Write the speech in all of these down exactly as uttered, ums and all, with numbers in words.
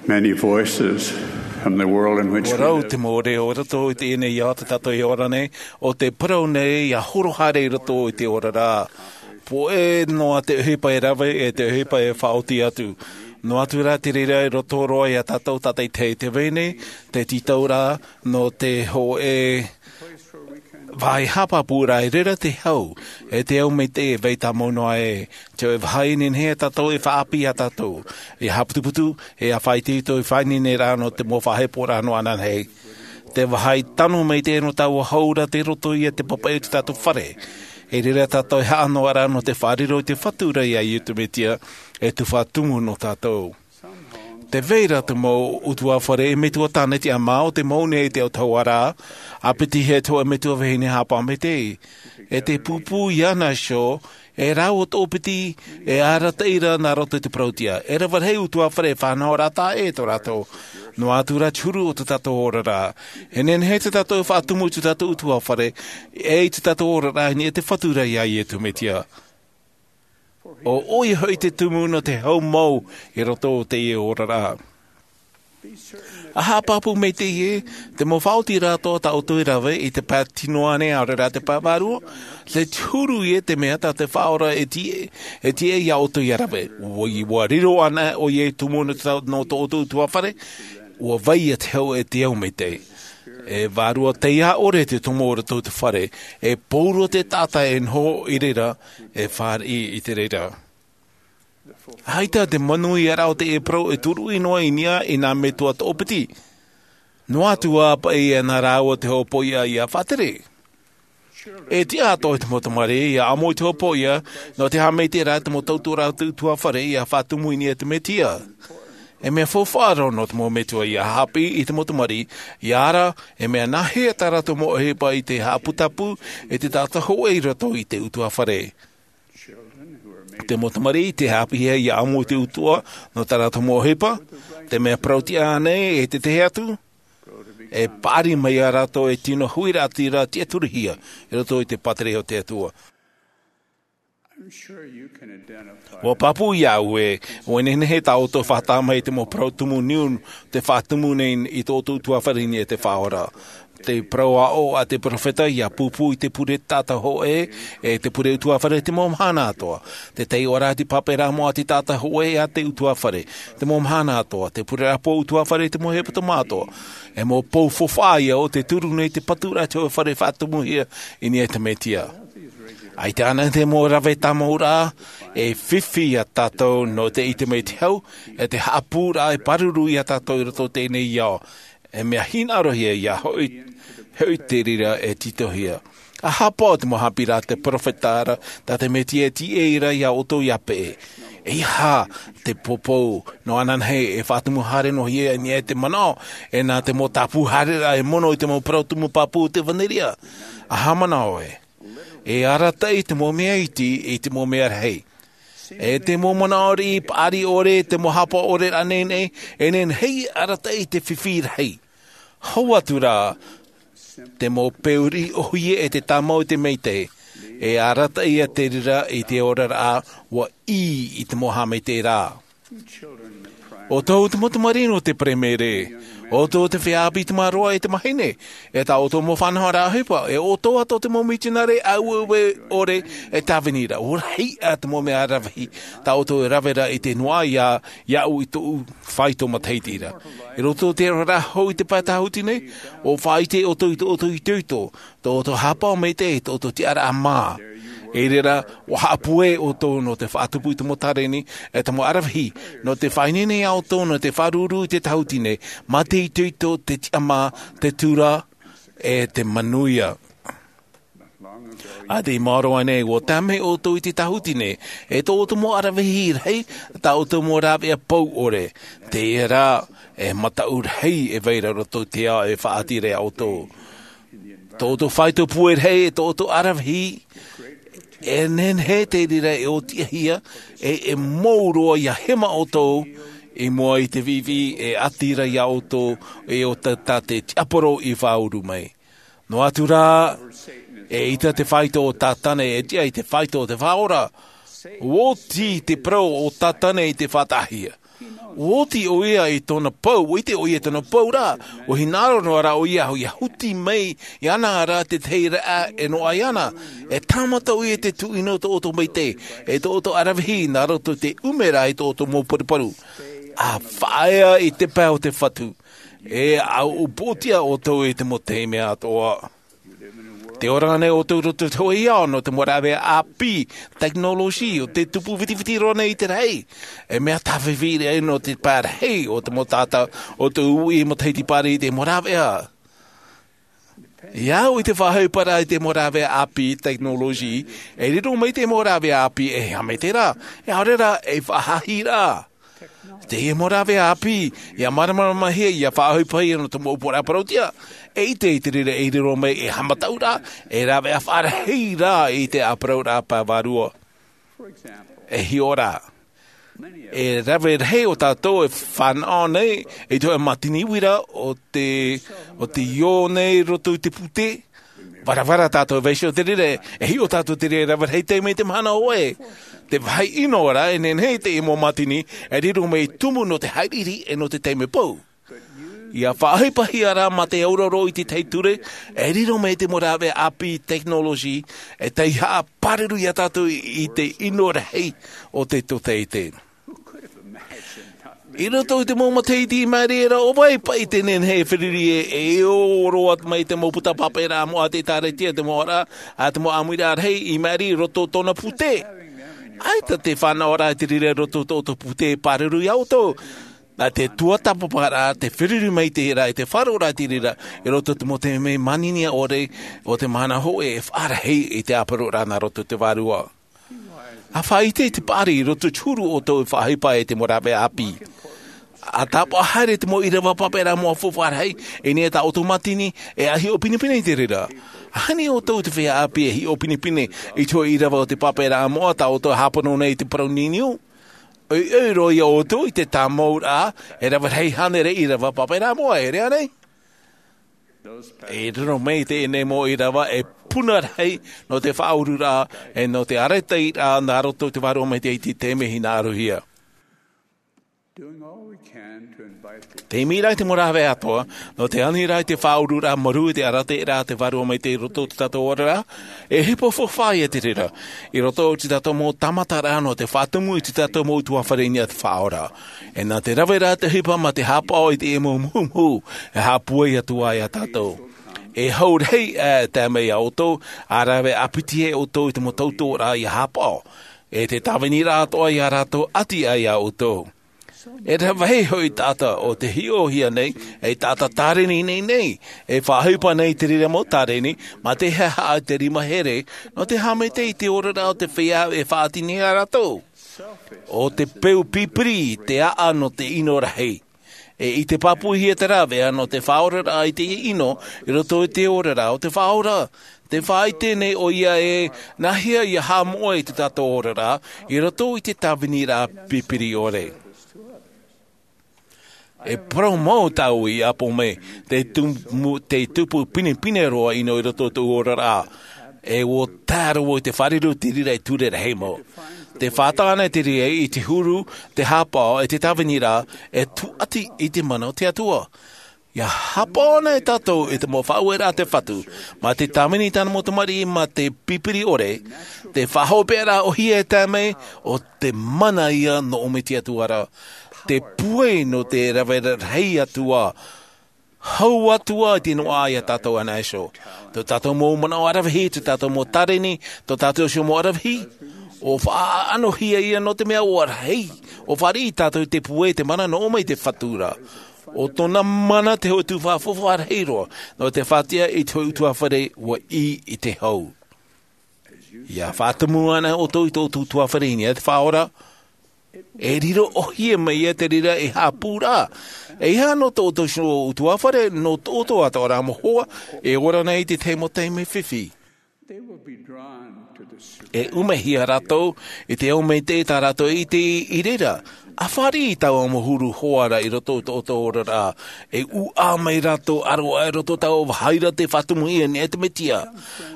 Many voices from the world in which we Ua rau live. Te mau reo o roto i teie nei ao tā tātou e ora nei, ʻo te parau nei ʻia horo haere i roto i te oraraʻa. Pōʻe noa te ʻohipa e rave, e te ʻohipa e faʻaoti atu. Noa atu rā te reira i roto roa ia tātou tātaʻitahi i te vai nei, te tītauraʻa, nō te hōʻē vāhi haʻapāpū rā, i reira te hau, e te au maitaʻi e vai tāmau noa e, te hōʻē vāhi e nehenehe tātou e faʻaʻāpī ia tātou, ʻia haʻaputuputu, ʻia faʻaitoito i te faʻaineineraʻa nō te mau faʻaheporaʻa nō ananahi. Te vāhi tano maitaʻi nō taua hau ra tei roto ia i te papaʻi o tā tātou fare. I reira tātou e haʻa noa ra nō te faʻariro i te Fatu ra ia Iesu Mesia, e tumu nō tātou. Te vai ra te mau ʻutuāfare e metua tāne tiʻamā o te mau nei te autahuʻaraʻa, ʻāpiti hia te hōʻē metua vahine haʻapaʻo maitaʻi. E te pūpū iāna iho, e rāua toʻopiti, e arataʻi ra nā roto i te parau-tiʻa. E rave rahi ʻutuāfare e fānaʻo ra taʻa ʻē tō rātou. Noa atu rā te huru o tā tātou oraraʻa. E nehenehe tā tātou e faʻatumu i tā tātou ʻutuāfare, e i tā tātou oraraʻa i niʻa i te Fatu ra ia Iesu Mesia. ʻO ʻoia hoʻi te tumu nō te hau mau i roto i teie oraraʻa. ʻA haʻapāpū maitaʻi ē, te mau faʻaotiraʻa tā ʻoutou e rave i te pae tino ānei, ʻaore rā te pae vārua, te huru ia te mea tā te Faʻaora e tiʻa, e tiʻa ia ʻoutou ʻia rave. ʻUa, ʻua riro anaʻe ʻoia i te tumu nō tā, nō tō ʻoutou ʻutuāfare, ʻua vai ia te hau e te au maitaʻi. E vārua taiā ʻore te tomo o roto i te fare, e pauroa te taʻata e noho i reira, e fāriʻi i te reira. ʻAita te manuiaraʻa o teie parau e turuʻi noa i niʻa i nā metua toʻopiti. Noa atu ā paʻi e nā rāua te hōpoiʻa ʻia faʻatere. E tiʻa atoʻa te mau tamariʻi ʻia ʻamo i te hōpoiʻa, nō te haʻamaitaʻiraʻa i te mau tauturu a te ʻutuāfare ʻia faʻatumu i niʻa i te Mesia. E mea faufaʻa roa nō te mau metua ʻia haʻapiʻi i te mau tamariʻi, ʻia ara, e mea nāhea tā rātou mau ʻohipa i te haʻaputapū, e te taʻata hōʻē i roto i te ʻutuāfare. Te mau tamariʻi tei haʻapiʻihia ʻia ʻamo i te ʻutuʻa, nō tā rātou mau ʻohipa, te mea parau-tiʻa ānei e te tahi atu, e paʻari mai ia rātou e tino huiraʻatira tiʻaturihia, i roto i te pātireia o te Atua. I'm sure you can identify. ʻUa pāpū iāʻu ē, ʻua nehenehe tā ʻoutou e faʻataʻa mai i te mau parau tumu niu, tei faʻatumu nei i tō ʻoutou ʻutuāfare i niʻa i te Faʻaora. Te parau aʻo a te peropheta ʻia pūpū i te pure taʻata hōʻē, e te pure ʻutuāfare te mau mahana atoʻa. Te taiʻoraʻa te pāpaʻiraʻa mau a te taʻata hōʻē a te ʻutuāfare, te mau mahana atoʻa. Te pureraʻa pō ʻutuāfare te mau hepetoma atoʻa. E mau pou faufaʻa ia ʻo tei turu nei te paturaʻa i te hōʻē fare faʻatumuhia i niʻa i te Mesia. ʻAita ānei te mau rave tāmauraʻa, e fifi ia tātou nō te ʻite mai i te hau, e te haʻapūraʻa e pāruru ia tātou i roto i teie nei ao. E mea hinaʻarohia ia hoʻi, hoʻi te reira e tītauhia. ʻA haʻapaʻo te mau haʻapiʻiraʻa a te peropheta ra, tā te Mesia e tiʻa ra ia ʻoutou ʻia peʻe. ʻEiaha te poupou, nō ananahi e faʻatumu haere noa hia i niʻa i te manaʻo, e nā te mau tāpū haereraʻa e mono i te mau parau tumu pāpū o te ʻevanelia. ʻA haʻamanaʻo ē. E arataʻi te mau mea iti i te mau mea rahi. E te mau manaʻo riʻi paʻari ʻore, te mau haʻapaʻo ʻore rānei nei, e nehenehe e arataʻi te fifi rahi. Hau atu rā, te mau peu riʻi ʻōhie e te tāmau i te maitaʻi, e arataʻi ia te reira i te oraraʻa, ʻua ʻī i te mau haʻamaitaʻiraʻa. ʻO tō ʻoutou mau tamariʻi nō te Paraimere, ʻo tō ʻoutou feiā ʻāpī tamaroa e te mahine, e tā ʻoutou mau fānaʻoraʻa ʻohipa, e ʻo tō atoʻa te mau mitionare aueue ʻore e tāvini ra, ʻua rahi ā te mau mea aravihi, tā ʻoutou e rave ra i te noaʻa ia, iāʻu i tōʻu faito matahiti ra. I roto i te oraraʻa hou i te pae tāhuti nei, ʻua faʻaʻite ʻoutou i tō ʻoutou itoito, tō ʻoutou haʻapaʻo maitaʻi, tō ʻoutou tiʻaraʻa mā. I reira, ʻua haʻapūai ʻoutou nō te faʻatupu i te mau tāreni, e te mau aravihi, nō te faʻaineine ia ʻoutou, nō te faʻaruru i te tāhuti nei, mā te itoito, te tiʻamā, te tura, e te manuia. ʻA tei maoro aʻe nei, ʻua tae mai ʻoutou i te tāhuti nei, e tō ʻoutou mau aravihi rahi, tā ʻoutou mau rāveʻa pou ʻore. Teie rā, e mataʻu rahi e vai ra roto i te ao e faʻaʻati ra ia ʻoutou. Tō ʻoutou faito pūai rahi, e tō ʻoutou aravihi, e nehenehe te reira e ʻōtiʻahia, e, e mou roa ʻia hema ʻoutou, i mua i te viʻiviʻi e ʻati ra ia ʻoutou, e ʻo tā, tā te tiaporo i faʻauru mai. Noa atu rā, eʻita te faito o Tātane e tiʻa i te faito o te Faʻaora. ʻUa oti te parau o Tātane i te faʻataʻahia. ʻUa oti ʻo ia i tōna pou, ʻua ʻite ʻo ia i tōna pou rā, ʻua hinaʻaro noa rā ʻo ia, ʻia huti mai iāna rā te tahi raʻa e noaʻa iāna. E tāmata ʻo ia i te tuʻino tō ʻoutou maitaʻi, e tō ʻoutou ʻaravihi, nā roto i te ʻumeraʻa i tō ʻoutou mau paruparu. ʻA faʻaea i te pae o te Fatu. E ʻua ʻūpootia ʻoutou i te mau taime atoʻa. Tē ora nei ʻoutou i roto i te hōʻē ao nō te mau rāveʻa ʻāpī, tekinolosi, ʻo tē tupu vitiviti roa nei i te rahi. E mea tāfifi rā nō te parahi o te mau taʻata, ʻo te uʻi matahiti pāri i te mau rāveʻa. ʻIa au i te faʻaʻohiparaʻa i te mau rāveʻa ʻāpī, tekinolosi, e riro mai te mau rāveʻa ʻāpī e haʻamaitaʻiraʻa, e ʻaore rā, e faʻahaʻiraʻa. Teie mau rāveʻa ʻāpī, ʻia māramarama hia, ʻia faʻaʻohipahia nō te mau upoʻoraʻa parauʻtiʻa, e ʻite i te reira e riro mai e haʻamataʻuraʻa, e rāveʻa faʻarahi rā i te ʻāparauraʻa pae vārua. E hiʻo rā. E rave rahi o tātou e fānaʻo nei, i te hōʻē mātini uira ʻo te, ʻo te io nei roto i te pūtē. Varavara tātou e vaiiho i te reira, e hiʻo tātou i te reira, rave rahi taime i te mahana hōʻē. Te vāhi ʻino rā, e nehenehe te mau mātini, e riro mai tumu nō te haʻiriʻiri e nō te taime pou. ʻIa faʻaʻohipahia rā mā te auraro i te tahi ture, e riro mai te mau rāveʻa ʻāpī, tekinolosi, e taihaʻa pāruru ia tātou i te ʻino rahi o te tōtaiete. I roto i te mau matahiti i maʻiri ra, ʻo vai paʻi te nehenehe e feruri e, e ʻō roa mai te mau puta pāpaʻiraʻa moʻa a te ʻĒkālesia, te mau ʻōraʻa, ʻa te mau ʻāmuiraʻa rahi i maʻiri i roto i tōna pūtē. ʻAita te fānaʻoraʻa i te reira i roto i tō ʻoutou pūtē pāruru ia ʻoutou. Nā te tuatāpaparaʻa, te feruri mai i te reira, e te faʻaroʻoraʻa i te reira, i roto i te mau taime manihini ʻore o te mahana hōʻē e faʻarahi i te ʻāparauraʻa nā roto i te Vārua. ʻA faʻaʻite i te paʻari i roto i te huru o tō ʻoutou faʻaʻohipa e te mau rāveʻa ʻāpī. ʻA tāpaʻo haere te mau ʻīrava pāpaʻiraʻa moʻa faufaʻa rahi, i niʻa i tā ʻoutou mātini, e ʻa hiʻo pinepine i te reira. ʻAhani ʻoutou te feiā ʻāpī e hiʻo pinepine i te hōʻē ʻīrava o te pāpaʻiraʻa moʻa tā ʻoutou e hāpono nei i te parau niuniu. ʻOiʻoi roa ia ʻoutou i te tāmauraʻa, e rave rahi hānere ʻīrava pāpaʻiraʻa moʻa, ʻeʻere ānei? E riro mai teie nei mau ʻīrava e puna rahi nō te faʻaururaʻa, e nō te arataʻiraʻa nā roto i te Vārua Maitaʻi i te taime hinaʻarohia. Te imi ra i te mau rāveʻa atoʻa, nō te ani ra i te faʻaururaʻa marū i te arataʻiraʻa a te Vārua Maitaʻi i roto i tō tātou oraraʻa, e ʻohipa faufaʻa ia te reira. I roto i tō tātou mau tāmataraʻa nō te faʻatumu i tō tātou mau ʻutuāfare i niʻa i te Faʻaora. E nā te rave ra te ʻohipa mā te haʻapaʻo i teie mau muhumuhu, e haʻapūai atu ā ia tātou. E hau rahi e tae mai ia ʻoutou, ʻa rave ʻāpiti ai ʻoutou i te mau tautoʻoraʻa ʻia haʻapaʻo. E te tāviniraʻa atoʻa ia rātou ʻati aʻe ia ʻoutou. E rave rahi hoʻi taʻata ʻo tē hiʻohia nei, e taʻata tāreni nei nei, e faʻaʻohipa nei te reira mau tāreni, mā te haʻahaʻa i te rima here, nō te haʻamaitaʻi i te oraraʻa o te feiā e faʻatini ia rātou. ʻO te peu pipiri te aʻa nō te ʻino rahi. E ʻite pāpūhia te rāveʻa nō te faʻaoraraʻa i te ʻino i roto i te oraraʻa o te Faʻaora. Tē faʻaʻite nei ʻoia ē, nāhea ʻia haʻamoʻe i tō tātou oraraʻa i roto i te tāviniraʻa pipiri ʻore. E parau mau tāʻu i ʻapo mai, te tumu-, te tupu pinepine roa ʻino i roto i tōʻu oraraʻa. E ʻua tae roa i te fāriu i te reira i ture rahi mau. Tē fātata ana te reira i te huru, te haʻapaʻo, e te tāviniraʻa, e tūʻati i te mana o te Atua. ʻIa haʻapaʻo ana tātou i te mau faʻaueraʻa a te Fatu, mā te tāvini i tāna mau tamariʻi mā te pipiri ʻore, te faʻahopeʻaraʻa ʻōhie e tae mai, ʻo te mana ia nō ʻō mai te Atua ra. Te pūai nō te rave rahi atu ā, hau atu ā i te noaʻa ia tātou anaʻe iho. Tō tātou mau manaʻo ʻaravihi, tō tātou mau tāreni, tō tātou iho mau ʻaravihi, ʻua faʻaʻanohia ia nō te mea ʻua rahi, ʻua fāriʻi tātou i te pūai, te mana nō ʻō mai te Fatu ra. ʻO tōna mana te hōʻē tuhaʻa faufaʻa rahi roa, nō te faʻatiʻa i te hōʻē ʻutuāfare ʻua ʻī i te hau. ʻIa faʻatumu ana ʻoutou i tō ʻoutou ʻutuāfare i niʻa i te Faʻaora, e riro ʻōhie mai ia te reira e haʻapū ra. E ʻeiaha nō tō ʻoutou iho ʻutuāfare, nō tō ʻoutou atoʻa ra mau hoa, e ora nei i te tahi mau taime fifi. E ʻumehia rātou i te ao maitaʻi tā rātou e ʻite i reira. ʻA fāriʻi i taua mau huru hoa ra i roto i tō ʻoutou oraraʻa. E ʻūʻā mai rātou ʻaroʻa i roto i taua vāhi ra tē faʻatumuhia nei e te Mesia.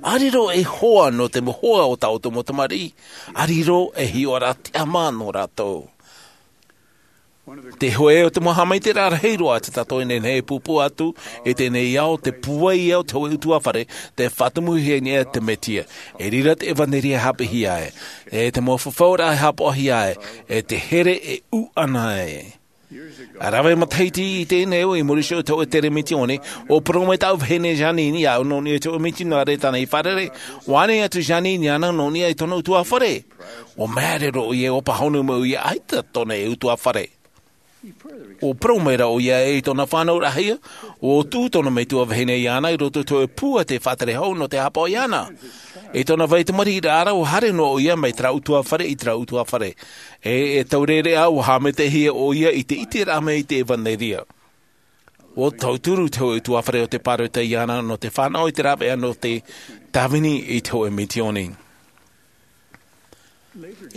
ʻA riro ei hoa nō te mau hoa o tā ʻoutou mau tamariʻi. ʻA riro ei hiʻoraʻa tiʻamā nō rātou. Te hoʻe o te mau haʻamaitaʻiraʻa rahi roa a te taʻata e nehenehe e pūpū atu i teie nei ao, te pūai ia o te hoʻe ʻutuāfare, te faʻatumuhia nei e te Mesia. E riro te ʻevanelia e hāpiʻihia ai, e te mau fafauraʻa e hāpaʻohia ai, e te here e ʻūʻana ai. A rave matahiti i teie nei, i muri iho i te hoʻe tere misioni, ʻua parau mai tāʻu vahine Jeanene iāʻu nō niʻa i te hoʻe mitionare tāna i fārerei. ʻUa ʻānaʻe atu Jeanene iāna nō niʻa i tōna ʻutuāfare. ʻUa māere roa ʻoia, ʻua pāhono mai ʻoia, ʻaita tōna ʻutuāfare. ʻUa parau mai ra ʻoia i tōna fānauraʻahia, ʻua tuʻu tōna metua vahine iāna i roto i te hoʻe pū a te faʻatere hau nō te hāpaʻo iāna. I tōna vai tamariʻiraʻa ra, ʻua haere noa ʻoia mai terā ʻutuāfare i terā ʻutuāfare. E, e taureʻareʻa, ʻua haʻamaitaʻihia ʻoia i te ʻiteraʻa mai i te ʻevanelia. ʻUa tauturu te hoʻe ʻutuāfare o te pāroita iāna nō te fānaʻo i te rāveʻa nō te tāvini i te hoʻe misioni.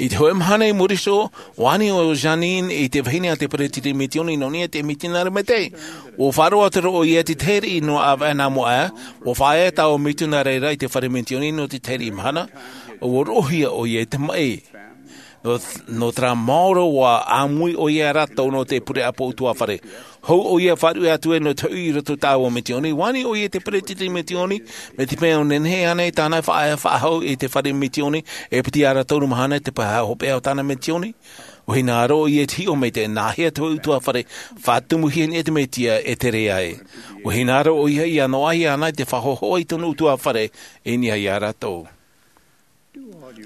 I te hoʻe mahana i muri iho, ʻua ani ʻo Jeanene i te vahine a te peresideni misioni nō niʻa i te mitionare maitaʻi. ʻUa faʻaroʻo atu ra ʻoia i te tahi riʻi nō ʻāvaʻe nā mua aʻe, ʻua faʻaea taua mitionare ra i te fare misioni nō te tahi riʻi mahana, ʻua roʻohia ʻoia i te maʻi. Nō, nō terā maoro ʻua ʻāmui ʻoia ia rātou nō te pure ʻāpō ʻutuāfare. Hou ʻoia e faʻaruʻe atu ai nō te hoʻi i roto i taua misioni, ʻua ani ʻoia i te peresideni misioni, mai te mea ʻua nehenehe ānei tāna e faʻaea faʻahou i te fare misioni, e piti ā rātou mahana te pae hopeʻa o tāna misioni. ʻUa hinaʻaro ʻoia i te hiʻo mai i te nāhea te hoʻe ʻutuāfare, faʻatumuhia nei e te Mesia e tere ai. ʻUa hinaʻaro ʻoia ʻia noaʻa iāna i te faʻahohoʻa i tōna ʻutuāfare i niʻa ia rātou.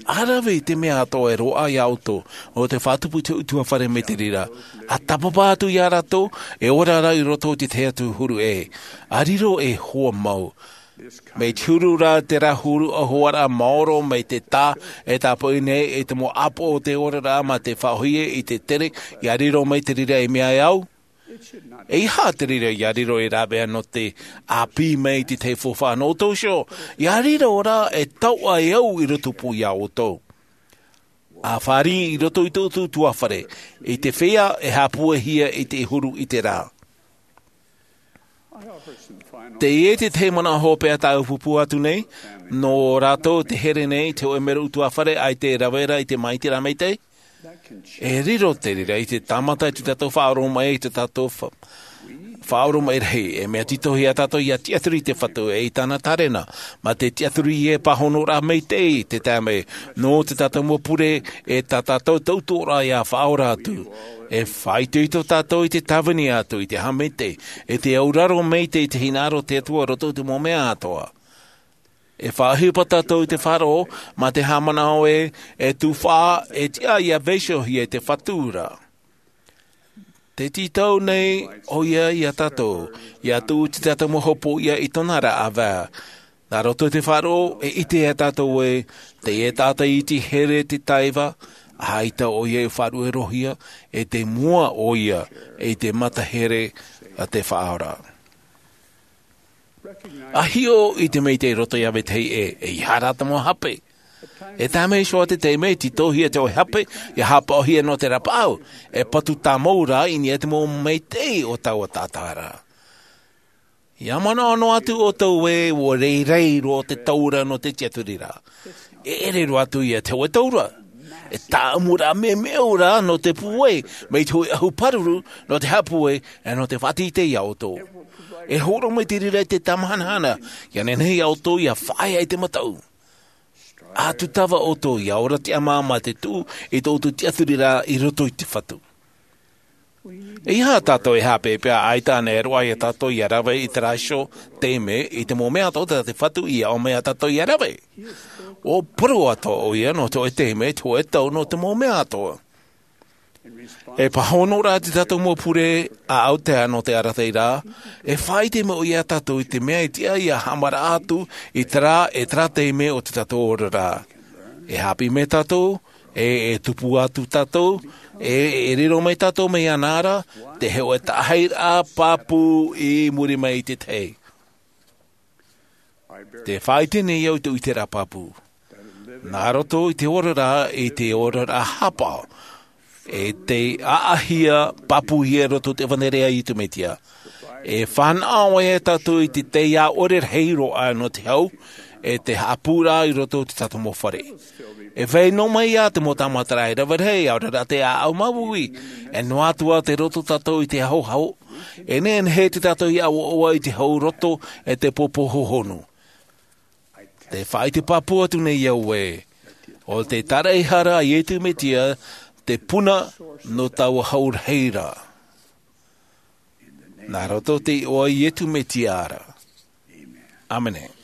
ʻA rave i te mea atoʻa e roaʻa ia ʻoutou, ʻo te faʻatupu i te ʻutuāfare mai te reira. ʻA tāpapa atu ia rātou, e ora ra i roto i te tahi atu huru ʻē. ʻA riro e hoa mau. Mai te huru ra terā huru ʻauhoaraʻa maoro mai te tā e tāpaʻo nei i te mau ʻāpoʻo o te oraraʻa mā te faʻaʻōhie i te tere, ʻia riro mai te reira e mea e au. ʻEiaha te reira ʻia riro ei rāveʻa nō te ʻāpī mai i te tahi faufaʻa nō ʻoutou iho, ʻia riro ra e tauʻa e au i roto pū ia ʻoutou. ʻA fāriʻi i roto i tō ʻoutou ʻutuāfare, i te feiā e haʻapūaihia i te huru i te rā. Teie te tahi manaʻo hopeʻa tāʻu e pūpū atu nei, nō rātou te here nei i te hoʻe mero ʻutuāfare ʻaita e rave ra i te māʻitiraʻa maitaʻi. E riro te reira i te tāmata i tō tātou faʻaoromaʻi, i tō tātou fa-, faʻaoromaʻi rahi, e mea tītauhia tātou ʻia tiʻaturi i te Fatu ʻe i tāna tārena, mā te tiʻaturi e pāhonoraʻa maitaʻi i te taime, nō tō tātou mau pure ʻe tā tātou tautoʻoraʻa ʻia faʻaora atu. E faʻaitoito tātou i te tāvini atu i te haʻamaitaʻi, ʻe te auraro maitaʻi i te hinaʻaro o te Atua i roto i te mau mea atoʻa. E faʻaʻohipa tātou i te faʻaroʻo, mā te haʻamanaʻo ē, e tufaʻa, e tiʻa ʻia vaiihohia e te Fatu ra. Tē tītau nei ʻoia ia tātou, ʻia tuʻu tō tātou mau hopoiʻa i tōna ra ʻāvaʻe. Nā roto i te faʻaroʻo, e ʻite ia tātou ē, teie taʻata i iti here te taiva, ʻaita ʻoia e faʻaruʻerohia, ʻe tei mua ʻoia i te mata here a te Faʻaora. ʻA hiʻo i te maitaʻi i roto ia vetahi ʻē, ʻeiaha rā te mau hape. E tae mai iho te taime e tītauhia te hoʻe hape, ʻia haʻapaʻohia nō te rapaʻau, e patu tāmau ra i niʻa i te mau maitaʻi o taua taʻata ra. ʻIa manaʻo noa atu ʻoutou ē, ʻua rairai roa te taura nō te tiʻaturiraʻa. E ʻere roa atu ia te hoʻe taura. E tāʻamuraʻa meʻumeʻu ra nō te pūai, mai te hoʻe ʻahu pāruru, nō te haʻapūai, ʻe nō te faʻateitei ia ʻoutou. E hōroʻa mai te reira i te tāmahanahana, ʻia nehenehe ia ʻoutou ʻia fāʻaea i te mataʻu. ʻA tūtava ʻoutou ʻia ora tiʻamā mā te tuʻu i tō ʻoutou tiʻaturiraʻa i roto i te Fatu. ʻEiaha tātou e haʻapeʻapeʻa, ʻaita ānei e roaʻa ia tātou ʻia rave i terā iho taime, i te mau mea atoʻa tā te Fatu i aʻo mai ia tātou ʻia rave. ʻUa parau atoʻa ʻoia nō te hoʻe taime, te hoʻe tau nō te mau mea atoʻa. E pāhono ra tō tātou mau pure ʻaʻau taeaʻe nō te arataʻiraʻa, e faʻaʻite mai ʻoia ia tātou i te mea e tiʻa ʻia haʻamaraʻa atu i terā, ʻe terā taime o tō tātou oraraʻa. E haʻapiʻi mai tātou, ʻe, e tupu atu tātou, ʻe, e riro mai tātou mai iāna ra, te hoʻe taʻahiraʻa pāpū i muri mai i te tahi. Tē faʻaʻite nei au i tō ʻiteraʻa pāpū. Nā roto i te oraraʻa, i te oraraʻa haʻapaʻo, ʻe tei ʻaʻahia, pāpūhia i roto i te ʻevanelia a Iesu Mesia. E fānaʻo ʻoia ia tātou i te taiā ʻore rahi roa nō te hau, e te haʻapūraʻa i roto i tā tātou mau fare. E vai noa mai ia te mau tāmataraʻa e rave rahi, ʻaore rā te ʻāʻau māuiui. E noa atu ā te roto tātou i te haʻohaʻo, e nehenehe te tātou i ʻaʻoaʻo i te hau roto e te pōpō hohonu. Te faʻaʻite pāpū atu nei au ē, ʻo te tāraʻehara a Iesu Mesia te puna nō taua hau rahi ra. Nā roto i te iʻoa o Iesu Mesia ra. ʻĀmene.